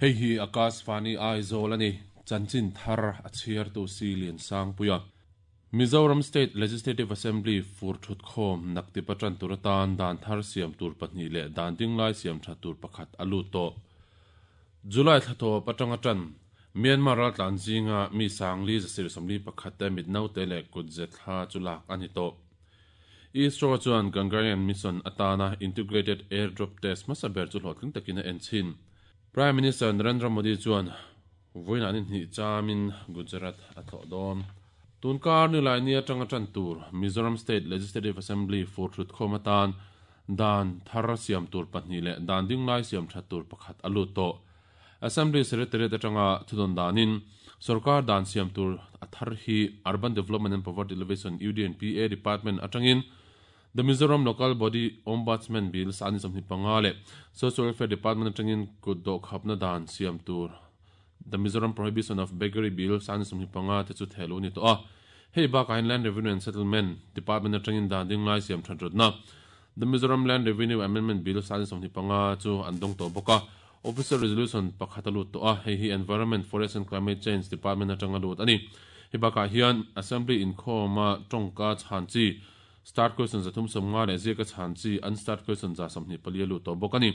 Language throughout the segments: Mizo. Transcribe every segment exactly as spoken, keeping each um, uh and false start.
Hei hi Akashvani Aizawl ani chanchin thar a chhiar tu si lian sang puia Mizoram State Legislative Assembly fur thut khom nakti patran turatan dan thar siam tur pahnih leh dan dinglai siam tha tur pakhat alu to July thlato patanga tan Myanmar ral tlan zinga mi sangli zasir samli pakhat te mitnau te le kutze thla chulak ani to ISRO chuan Gangarian mission atana integrated airdrop test masaber chu hlawhtling takina enchin Prime Minister Narendra Modi chuan voina ni hni chamin Gujarat a thawh dawn tunkar ni lai ni atanga tan tur Mizoram State Legislative Assembly for thut khomatan dan thar siam tur pahnih leh dan dinglai siam tha tur pakhat alu to Assembly Secretariat atanga thudon danin sarkar dan siam tur athar hi Urban Development and Poverty Alleviation U D N P A Department atangin The Mizoram Local Body Ombudsman Bill sani samni panga le Social Welfare Department atangin kuddo khapna dan siam tur The Mizoram Prohibition of Beggary Bill sani samni panga te chu thelu ni to a hei ba kain Land Revenue and Settlement Department atangin dan dinglai siam thandrotna The Mizoram Land Revenue Amendment Bill sani samni panga chu andong to boka Official Resolution pakhatalu to a hei hi Environment Forest and Climate Change Department atanga lut ani hibaka hian Assembly in khoma tongka chanchi start question zathum somnga le zeka chanchi unstart question za samni palialu to bokani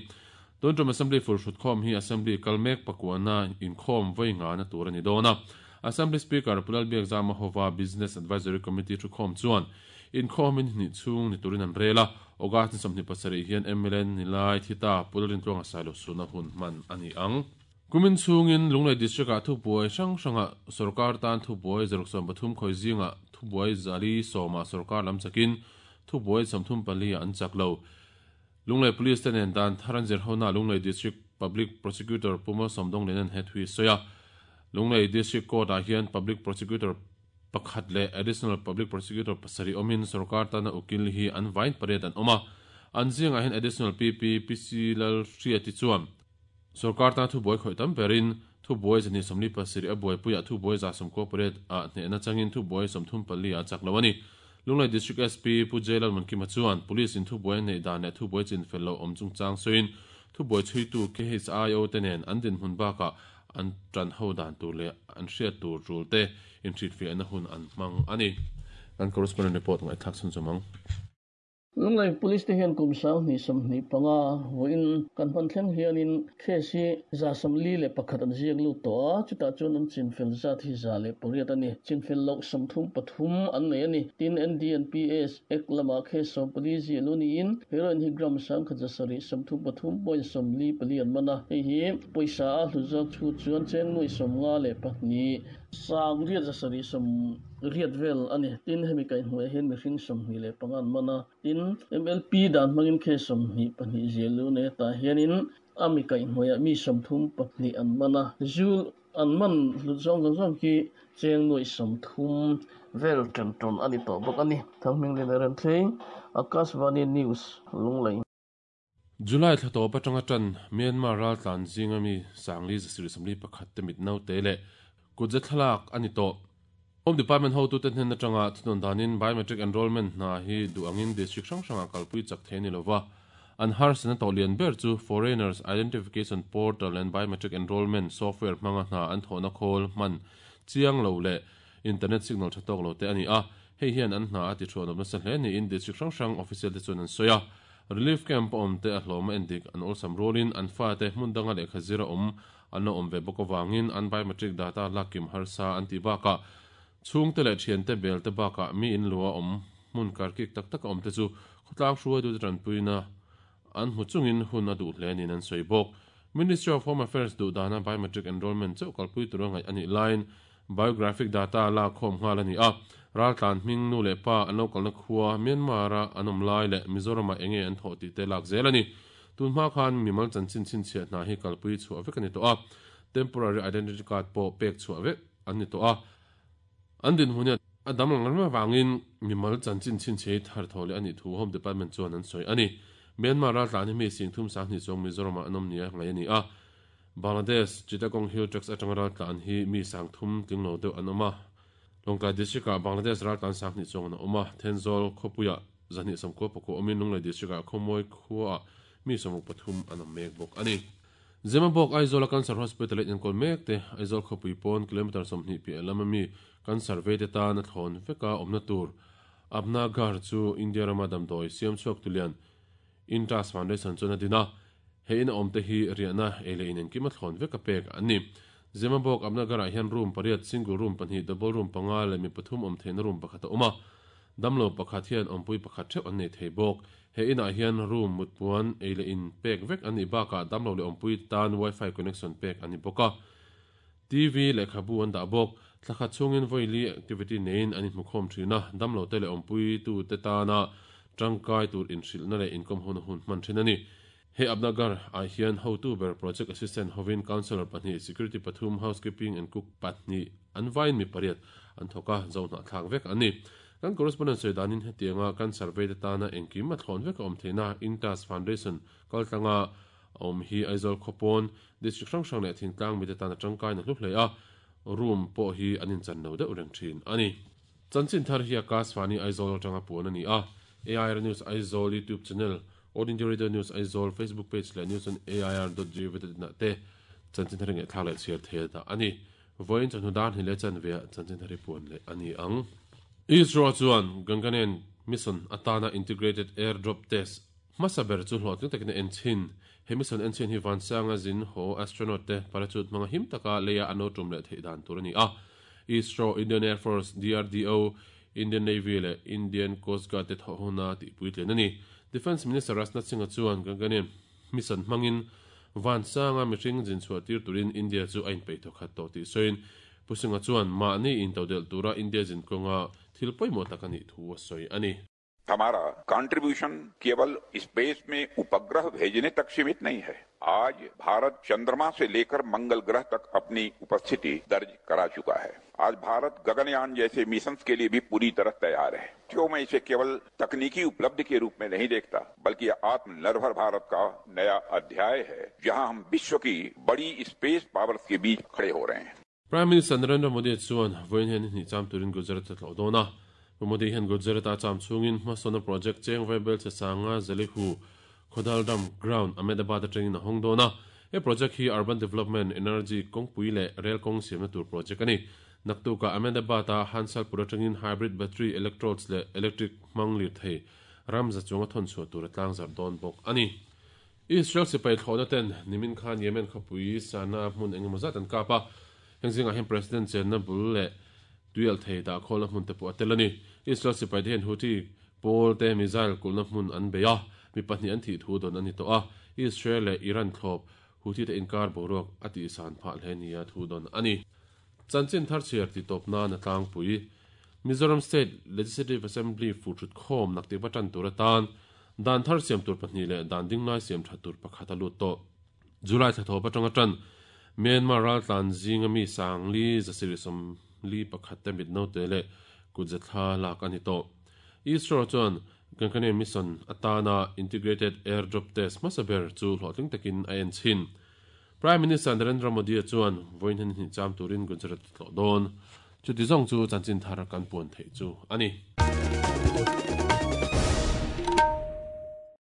Tuntum Assembly for Shut khom hi Assembly kalmek pakwana in khom voinga na turani dona Assembly Speaker Pulal Biak Zama Hova Business Advisory Committee thu khom chuan in khom in ni chung ni turin an rela August samni pasari hian M L N nilai thita pulrin tlonga sailo suna hun man ani ang kumin chungin Lunglei district a thu buai sang sanga sarkar tan thu buai zarok pathum khoi zinga thu buai zali soma sarkar lam chakin thu buai samthum pali an chaklo Lunglei Police ten dan tharan zer hona Lunglei District Public Prosecutor Puma Somdong lenen het hui soya Lunglei District Court a hian Public Prosecutor pakhat le Additional Public Prosecutor pasari omin sarkar tana ukil hi an vain pariat an oma anjing a hin Additional P P P C lal hriati chuan sarkar ta thu boi khoi tam perin thu boi jani somli pasari a boi puya thu boi za som corporate a hne na changin thu boi somthum pali a chaklawani Lunglei District S P Pujelal Mankima chuan police in thu boi nei dan le thu boi chin fello om chung chang soin thu boi chui tu K H I O tenen an din hun baka an tran ho dan tur le an hriat tur rul te in thrit fi an hun an mang ani an correspondent report ngai thak sun chomang Lunglei Police te hian kum sang ni samni panga voin kan pan thleng hianin khesi za samli le pakhat an ziak lu to a chuta chuan an chinfel za thi za le pariat ani chinfel lok samthum pathum an nei ani tin N D N P S ek lama khesom police luni in heroin hi gram sang khaja sari samthum pathum point samli pali an mana hei hi poisa a hluzak chu chuan chen nui somnga le pahni sang riat za sari sam riat vel ani tin hemi kai hnuai hian mihring sawmhnih leh pangan mana tin M L P dan hmangin khe sawmhnih pahnih zial lu ne tah hianin ami kai hnuaiah mi sawmthum pahnih an mana zul an man hlut zawng zawng zawng khi cheng nuai sawmthum vel tan tawn ani tawh bawk ani thanghming leh ren thleng Akashvani News Lunglei July thlato patanga tan Myanmar ral tlan zinga mi sangli zasir samli pakhat te mitnau te le kutze thlak ani to Home Department ho tu ten hen atanga thunon danin biometric enrollment na hi duangin district sang sanga kalpui chak theni lova an har sana to lian ber chu foreigners identification portal and biometric enrollment software manga na an thona khol man chiang lo le internet signal thatok lo te ani a hei hian an hna ati thuan na sa hle ni in district sang sang official te chuan an soya relief camp om te a hloma endik an olsam rolin an fa te hmundanga le khazira om an om ve bokawangin an biometric data lakim harsa an ti baka chung te le thian te bel te baka mi in lua om mun kar ki tak tak om te chu khotlang hruai du tran puina an hu chungin hun a du hle ni an soibok Ministry of Home Affairs du dana biometric enrollment chau kalpui turangai ani line biographic data la khom ngal ani a ral tlan hming nu le pa an local na khuwa Myanmar a anom lai le Mizoram a enge an tho ti te lak zel ani tun hma khan mimal chan chin chin chhiat na hi kalpui chu avek ani to a temporary identity card po pek chu avek ani to a andin hunia adam lang ma wangin mimal chan chin chin che thar thole ani thu Home Department chuan an soi ani Myanmar ral tlan mi sing thum sang ni chong Mizoram a anom nia ngai ani a Bangladesh Chittagong Hill Tracts atanga ral tlan hi mi sang thum tlinglo deuh an awm a Longkai district a Bangladesh ral tlan sang ni chong an awm a Thenzawl khawpuia zahnih sawmkua pakua awmin Lunglei district ah khawmawi khua mi sawmruk pathum an awm mek bawk ani. Zemabawk Aizawl Cancer Hospital in enkawl mek te Aizawl khawpui pawn kilometer sawmhnih piah lama mi cancer vei te tan a thlawn veka awmna tur Apna Ghar chu India rama damdawi siam chhuak tulian Intas Foundation chuan a din a, he in a awm te hi riahna ei leh in engkim a thlawn veka pek an ni. Zemabawk Apna Ghar ah hian room pariat, single room pahnih, double room panga leh mi pathum awm theihna room pakhat a awm a, damlo pakhat hian awmpui pakhat theuh an nei thei bawk. He inah hian room mutpuan ei leh in pek vek an nih bakah damlo leh awmpui tan wifi connection pek an ni bawk a, T V lehkhabu an dah bawk. Thlakhat chhungin vawi activity neiin an inhmukhawm thin a, damlo te leh awmpui tu te tana tangkai tur inhrilhna leh inkawm hona hun hman thin a ni. He Apna Ghar ah hian hotu ber project assistant hovin councillor pahnih, security pathum, housekeeping and cook pahnih an vaiin mi pariat an thawk a, zo hnahthlak vek an ni. Kan correspondent sawi danin hetianga cancer vei te tana engkim a thlawn vek a awm theihna Intas Foundation kaltlanga awm hi Aizawl khawpawn district hrang hrang leh thingtlang mi te tana tangkai na hlu hle a, room pawh hi an inchan lo deuh reng thin a ni. Chanchin thar hi Akashvani Aizawl atanga puan a ni a, A I R News Aizawl YouTube channel, All India Radio News Aizawl Facebook page leh news on A I R dot gov dot in ah te chanchin thar nge thlak leh chhiar thei dah a ni. Vawiin chawhnu dan hi leh chanve ah chanchin thar hi puan leh a ni ang. ISRO chuan Gaganyaan mission atana integrated airdrop test hmasa ber chu hlawhtling takin a en chhin. He mission en chhin hi Vansanga zin ho astronaut te parachute hmanga him taka leia an lo tum leh theih dan tur a ni a. ISRO, Indian Air Force, D R D O, Indian Navy leh Indian Coast Guard te thawh huna tihpuitlin a ni. Defence Minister Rajnath Singh chuan Gaganyaan mission hmangin Vansanga mihring zin chhuah tir turin India chu a inpeih thawkhat tawh tih sawiin Pu Singh chuan mahni intodel tura India zin kawnga thil pawimawh tak a nih thu a sawi a ni. हमारा contribution केवल space में उपग्रह भेजने तक सीमित नहीं है। आज भारत चंद्रमा से लेकर मंगल ग्रह तक अपनी उपस्थिति दर्ज करा चुका है। आज भारत गगनयान जैसे मिशन के लिए भी पूरी तरह तैयार है। क्यों मैं इसे केवल तकनीकी उपलब्धि के रूप में नहीं देखता, बल्कि आत्मनिर्भर भारत का नया अध्याय है, जहां हम विश्व की बड़ी स्पेस पावर्स के बीच खड़े हो रहे हैं। Prime Minister Narendra Modi chuan vawiin hian hnih cham turin Gujarat a tlawh dawn a. Modi hian Gujarat a cham chungin hmasawna project cheng vaibel che sanga Zelihu Khodal Dam Ground Ahmedabad atangin a hawng dawn a. He project hi Urban Development Energy kawngpui leh rail kawng siamna tur project a ni. Naktuka Ahmedabad a Hansalpur atangin hybrid battery electrodes leh electric hmang lir thei ramza chunga thawn chhuah tur a tlang zar dawn bawk a ni. Israel sipai thlawhna ten nimin khan Yemen khawpui Sana hmun engemaw zat an kap a. Heng zingah hian President chenna bul leh tuial thei dah khawlna hmun te pawh a tel a ni. Israel sipai te hian Houthi pawl te missile kulna hmun an bei a, mi pahnih an thih thu dawn a ni tawh a. Israel leh Iran thlawp Houthi te inkar boruak a tihsan phah hle nia thu dawn a ni. Chanchin thar chhiar ti tawp nan a tlangpui. Mizoram State Legislative Assembly futhut khawm naktik va tan tur atan dan thar siam tur pahnih leh dan dinglai siam tha tur pakhat a lut tawh. July thla thawp atanga tan Myanmar ral tlan zinga mi sangli zasiri som li pakhat te mit no te le kutzathla lak ani tawh. ISRO chuan Gaganyaan mission atana integrated airdrop test hmasa ber chu hlawhtling takin a en chhin. Prime Minister Narendra Modi chuan vawiin hian hnih cham turin Gujarat tlawh dawn. Chuti zawng chu chanchin thar kan puan theih chu a ni.